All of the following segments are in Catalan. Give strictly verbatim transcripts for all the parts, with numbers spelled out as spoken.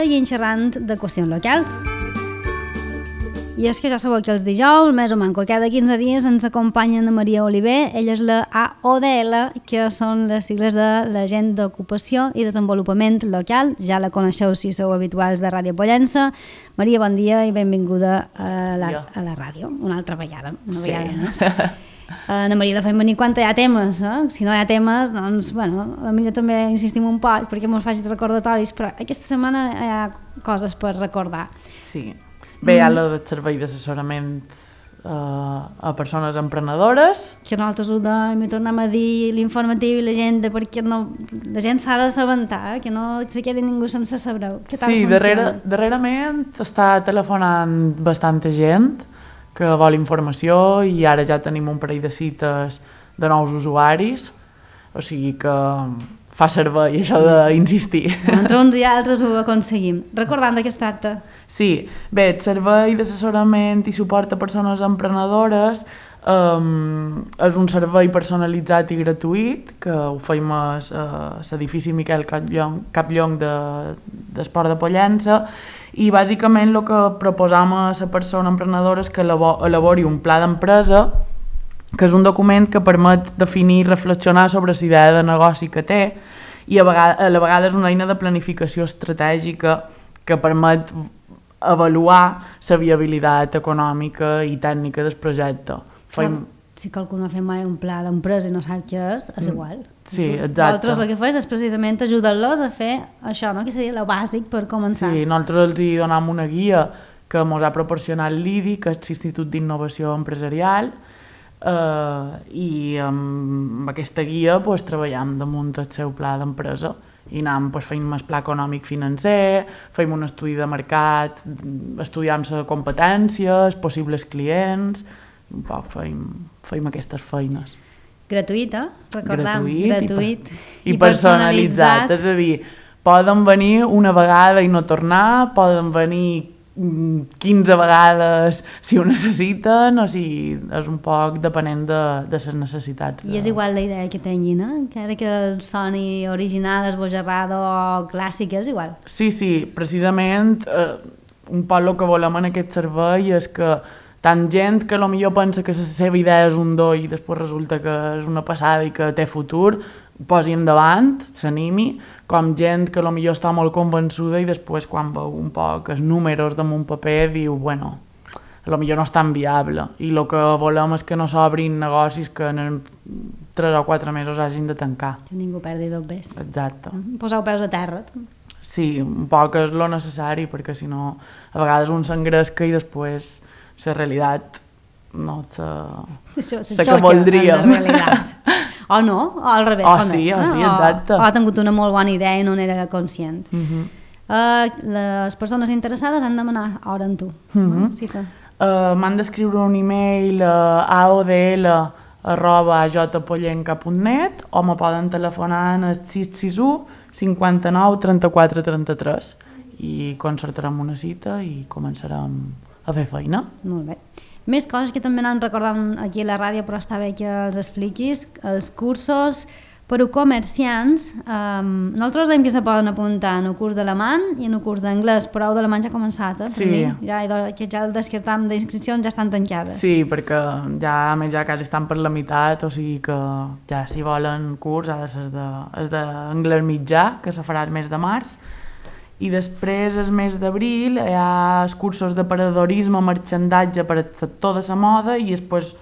i xerrant de qüestions locals. I és que ja sabeu que els dijous, més o manco, cada quinze dies ens acompanya Ana Maria Oliver. Ella és la A O D L, que són les sigles de l'Agent d'Ocupació i Desenvolupament Local. Ja la coneixeu si sou habituals de Ràdio Pollença. Maria, bon dia i benvinguda a la, a la ràdio, una altra vegada, una sí. vegada més. Ana Maria, la fem venir quan hi ha temes, eh? Si no hi ha temes, doncs, bueno, potser també insistim un poc perquè ens facin recordatoris, però aquesta setmana hi ha coses per recordar. Sí. Bé, hi ha el servei d'assessorament uh, a persones emprenedores. Que nosaltres ho dèiem i tornem a dir l'informatiu i la gent, perquè no, la gent s'ha d'assabentar, que no se quedi ningú sense saber què tal sí, funciona. darrere, darrerament està telefonant bastanta gent que vol informació i ara ja tenim un parell de cites de nous usuaris, o sigui que fa servei això d'insistir. Entre uns i altres ho aconseguim. Recordant de què es tracta? Sí, bé, el servei d'assessorament i suport a persones emprenedores um, és un servei personalitzat i gratuït que ho feim a l'edifici Miquel Capllong de, d'Esport de Pollença, i bàsicament el que proposam a la persona emprenedora és que elabori un pla d'empresa, que és un document que permet definir i reflexionar sobre la idea de negoci que té, i a, vegada, a la vegada és una eina de planificació estratègica que permet avaluar la viabilitat econòmica i tècnica del projecte. Feim... Si qualcú no ha fet mai un pla d'empresa i no sap què és, és igual. Sí, exacte. Nosaltres el que fem és precisament ajudar-los a fer això, no? Que seria el bàsic per començar. Sí, nosaltres els hi donem una guia que ens ha proporcionat l'I D I, que és l'Institut d'Innovació Empresarial, eh, i amb aquesta guia pues, treballem damunt el seu pla d'empresa i anem pues, fent el pla econòmic financer, fem un estudi de mercat, estudiem les competències, possibles clients, un poc fem, fem aquestes feines. Gratuïta, recordam, gratuït, gratuït i, i personalitzat. personalitzat. És a dir, poden venir una vegada i no tornar, poden venir quinze vegades si ho necessiten, o sigui, és un poc depenent de, de les necessitats. De... I és igual la idea que tinguin, eh? Encara que el soni original, esbojarrado o clàssic, és igual. Sí, sí, precisament eh, un poc el que volem en aquest servei és que tant gent que potser pensa que la seva idea és un do i després resulta que és una passada i que té futur, posi endavant, s'animi, com gent que potser està molt convençuda i després quan veu un poc els números damunt paper diu, bueno, potser no és tan viable. I el que volem és que no s'obrin negocis que en tres o quatre mesos hagin de tancar. Que ningú perdi dos bes. Exacte. Poseu peus a terra. Sí, un poc és lo necessari, perquè si no, a vegades un s'engresca i després la realitat no és la que voldríem. O no, o al revés. O sí, o sí, exacte. O ha tingut una molt bona idea i no n'era conscient. Uh -huh. uh, les persones interessades han de demanar hora amb tu. Uh -huh. no? Sí que... uh, M'han d'escriure un e-mail a aodl arroba jpollenca punt net o me poden telefonar en el sis sis u cinquanta-nou trenta-quatre trenta-tres i concertarem una cita i començarem a fer feina. Molt bé. Més coses que també anem recordant aquí a la ràdio, però està bé que els expliquis. Els cursos per a comerciants, um, nosaltres dèiem que se poden apuntar en el curs d'alemany i en el curs d'anglès, però el d'alemany ja ha començat, eh? Sí. Per mi, ja, que ja el descartam d'inscripcions ja estan tancades. Sí, perquè ja, a més, ja quasi estan per la meitat, o sigui que ja si volen curs ha de ser d'anglès mitjà, que se farà el mes de març, i després, el mes d'abril, hi ha els cursos d'aparedorisme, marxandatge per al sector de la moda i després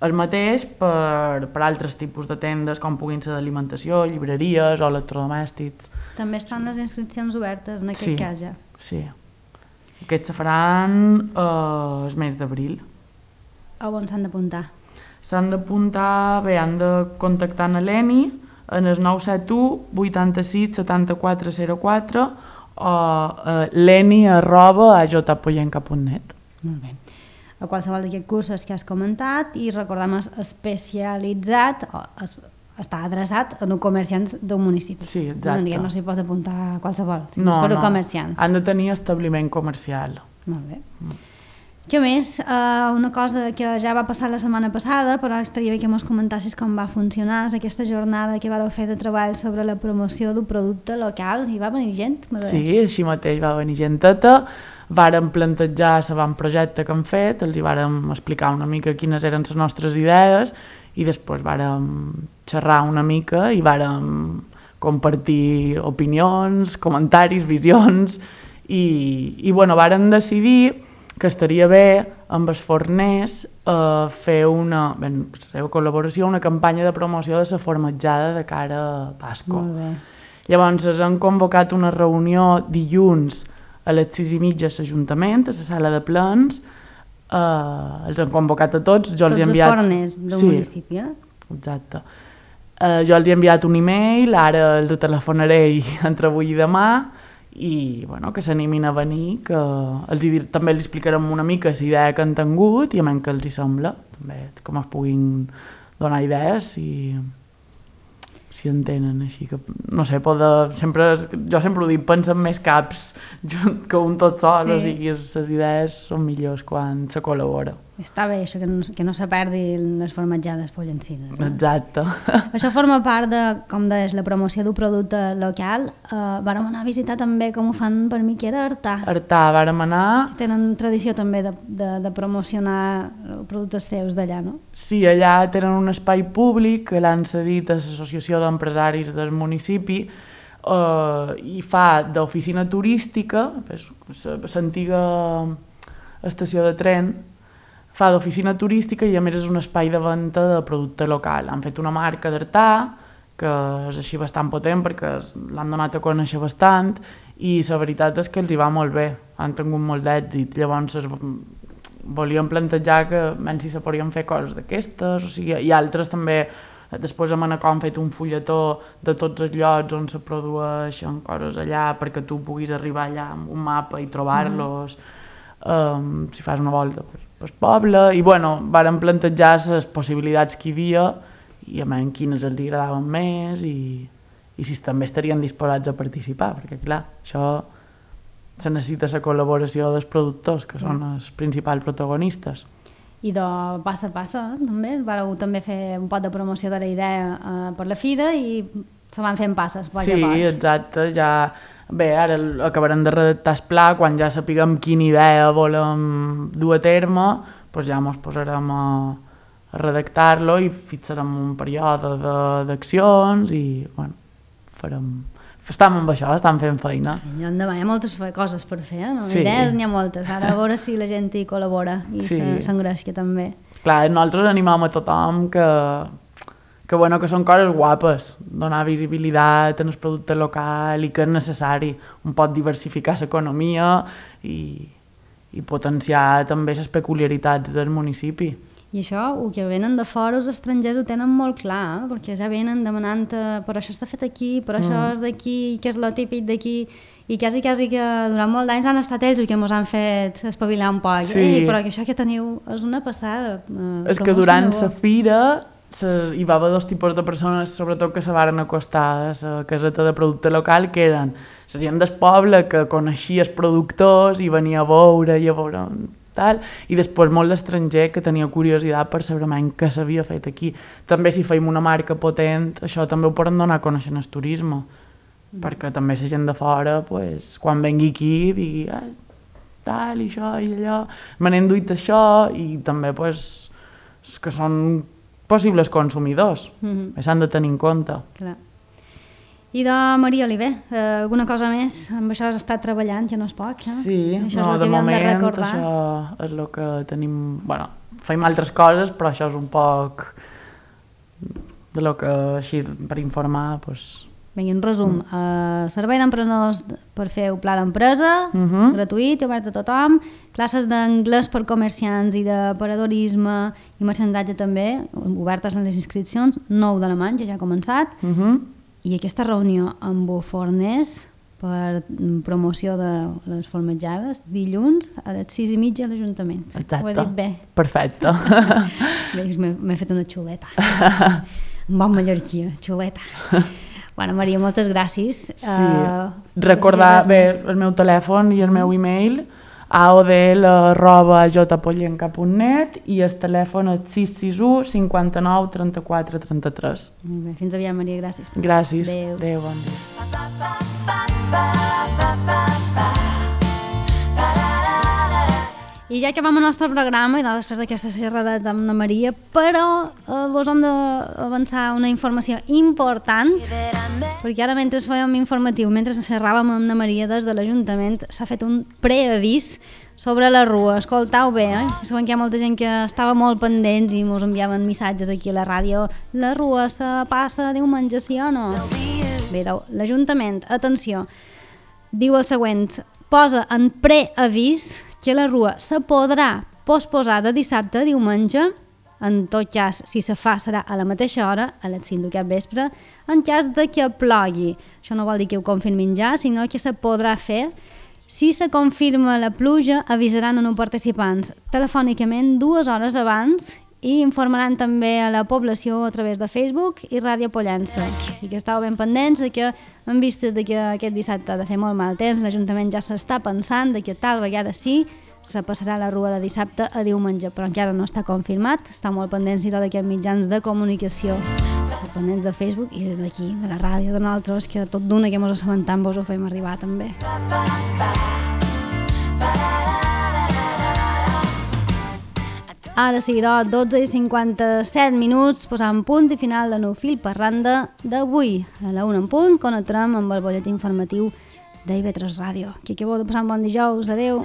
el mateix per, per altres tipus de tendes, com puguin ser d'alimentació, llibreries o electrodomèstics. També estan les inscripcions obertes, en aquest sí, cas ja. Sí, aquests se faran eh, el mes d'abril. A on s'han d'apuntar? S'han d'apuntar, bé, han de contactar amb l'Eni en el nou set u vuitanta-sis setanta-quatre zero quatre o uh, leni arroba a jpollenca punt net. Molt bé. A qualsevol d'aquests cursos que has comentat i recordem especialitzat o es, està adreçat a comerciants d'un municipi. Sí, exacte. No, no s'hi pot apuntar qualsevol, no, és per no. comerciants. Han de tenir establiment comercial. Molt bé. Mm. Què més? Uh, una cosa que ja va passar la setmana passada, però estaria bé que mos comentassis com va funcionar, és aquesta jornada que vareu fer de treball sobre la promoció d'un producte local. Hi va venir gent? Sí, així mateix va venir genteta. Vàrem plantejar l'avantprojecte que hem fet, els hi vàrem explicar una mica quines eren les nostres idees i després vàrem xerrar una mica i vàrem compartir opinions, comentaris, visions i, i bueno, vàrem decidir que estaria bé amb els forners eh, fer una, ben, la seva col·laboració, una campanya de promoció de la formatjada de cara a Pasqua. Molt bé. Llavors, han convocat una reunió dilluns a les sis i mitja a l'Ajuntament, a la sala de plens, eh, els han convocat a tots. Jo tots els he enviat... els forners del sí, municipi, eh? Exacte. Eh, jo els he enviat un e-mail, ara els telefonaré entre avui i demà, i bueno, que s'animin a venir, que els hi, també els explicarem una mica la idea que han tingut i a menys que els hi sembla, també com es puguin donar idees i si en tenen, així que no sé, poder, sempre, jo sempre ho dic, pensen més caps que un tot sol, sí. O sigui, les idees són millors quan se col·labora. Està bé això, que no, que no se perdi les formatjades pollencines. Eh? Exacte. Això forma part de, com deies, la promoció d'un producte local. Uh, vàrem anar a visitar també com ho fan per mi, que era Artà. Artà, vàrem anar... Tenen tradició també de, de, de promocionar productes seus d'allà, no? Sí, allà tenen un espai públic que l'han cedit a l'Associació d'Empresaris del municipi uh, i fa d'oficina turística, l'antiga estació de tren, fa d'oficina turística i a més és un espai de venda de producte local. Han fet una marca d'Artà, que és així bastant potent perquè l'han donat a conèixer bastant i la veritat és que els hi va molt bé, han tingut molt d'èxit. Llavors volíem plantejar que menys si se podien fer coses d'aquestes, o sigui, i altres també. Després a Manacor han fet un fulletó de tots els llocs on se produeixen coses allà perquè tu puguis arribar allà amb un mapa i trobar-los, mm. um, si fas una volta per, per poble, i bueno, vàrem plantejar les possibilitats que hi havia i a menys quines els agradaven més i, i si també estarien disposats a participar, perquè clar, això se necessita la col·laboració dels productors, que són els principals protagonistes. I de passa a passa, també, vareu també fer un pot de promoció de la idea eh, per la fira i se van fent passes. Sí, exacte, ja... Bé, ara acabarem de redactar el pla, quan ja sapiguem quina idea volem dur a terme, doncs ja ens posarem a, a redactar-lo i fixarem un període d'accions i, bueno, farem... Estem amb això, estem fent feina. I endavant hi ha moltes coses per fer, eh? No? Sí. Idees n'hi ha moltes, ara a veure si la gent hi col·labora i sí. s'engresca també. Clar, nosaltres animem a tothom que, que, bueno, que són coses guapes, donar visibilitat en el producte local i que és necessari, un pot diversificar l'economia i, i potenciar també les peculiaritats del municipi. I això, el que venen de fora, els estrangers ho tenen molt clar, eh? Perquè ja venen demanant per això està fet aquí, per això mm. és d'aquí, que és lo típic d'aquí, i quasi, quasi que durant molt d'anys han estat ells que ens han fet espavilar un poc. Sí. Ei, però que això que teniu és una passada. Eh, és que durant la fira ses, hi va haver dos tipus de persones, sobretot que se varen acostar a la caseta de producte local, que eren la gent del poble que coneixia els productors i venia a veure i a veure... Tal, i després molt d'estranger que tenia curiositat per saber què s'havia fet aquí. També si feim una marca potent, això també ho poden donar a conèixer en el turisme, mm. perquè també la gent de fora, pues, quan vengui aquí, digui ah, tal i això i allò, me n'he enduit això, i també pues, que són possibles consumidors, mm-hmm. s'han de tenir en compte. Clar. I de Maria Oliver, eh, alguna cosa més? Amb això has estat treballant, ja no és poc, eh? Sí, això no, és de moment de això és el que tenim... Bueno, feim altres coses, però això és un poc de lo que, així, per informar, doncs... Bé, en resum, mm. eh, servei d'emprenedors per fer un pla d'empresa, mm-hmm. gratuït i obert a tothom, classes d'anglès per comerciants i d'aparadorisme i merchandatge també, obertes en les inscripcions, nou d'alemany, ja ja ha començat, mm-hmm. i aquesta reunió amb forners per promoció de les formatjades dilluns a les sis i mitja a l'Ajuntament. Exacte. Ho he dit bé. Perfecte. Bé, m'he fet una xuleta. Un bon mallorquí, xuleta. Bueno, Maria, moltes gràcies. Sí. Uh, Recordar, bé, el meu telèfon i el meu e-mail a o de l arroba jpollenca punt net i el telèfon és sis sis u cinquanta-nou trenta-quatre trenta-tres. Molt bé, fins aviat, Maria, gràcies. Gràcies. Adéu. Adéu, bon dia. I ja acabem el nostre programa, i després d'aquesta xerrada amb la Maria, però eh, vos hem d'avançar una informació important, perquè ara mentre fèiem informatiu, mentre xerràvem amb la Maria des de l'Ajuntament, s'ha fet un preavís sobre la rua. Escoltau bé, eh? Sabem que hi ha molta gent que estava molt pendents i ens enviaven missatges aquí a la ràdio. La rua se passa diumenge, sí o no? Bé, l'Ajuntament, atenció, diu el següent: posa en preavís que la rua se podrà posposar de dissabte a diumenge, en tot cas, si se fa serà a la mateixa hora, a les cinc d'aquest vespre, en cas de que plogui. Això no vol dir que ho confirmin ja, sinó que se podrà fer. Si se confirma la pluja, avisaran a els participants telefònicament dues hores abans i informaran també a la població a través de Facebook i Ràdio Pollença. I que estàu ben pendents de que, en vista de que aquest dissabte ha de fer molt mal temps, l'Ajuntament ja s'està pensant de que tal vegada sí se passarà la rua de dissabte a diumenge, però encara no està confirmat. Està molt pendents i tot aquests mitjans de comunicació, pendents de Facebook i d'aquí, de la ràdio, de nosaltres, que tot d'una que mos assabentam vos ho fem arribar també. Ara sí, doncs, dotze i cinquanta-set minuts, posant punt i final de Nou Fil per Randa d'avui. A la una en punt connectarem amb el bolletí informatiu d'I V tres Ràdio. Que acabeu de passar un bon dijous. Adéu.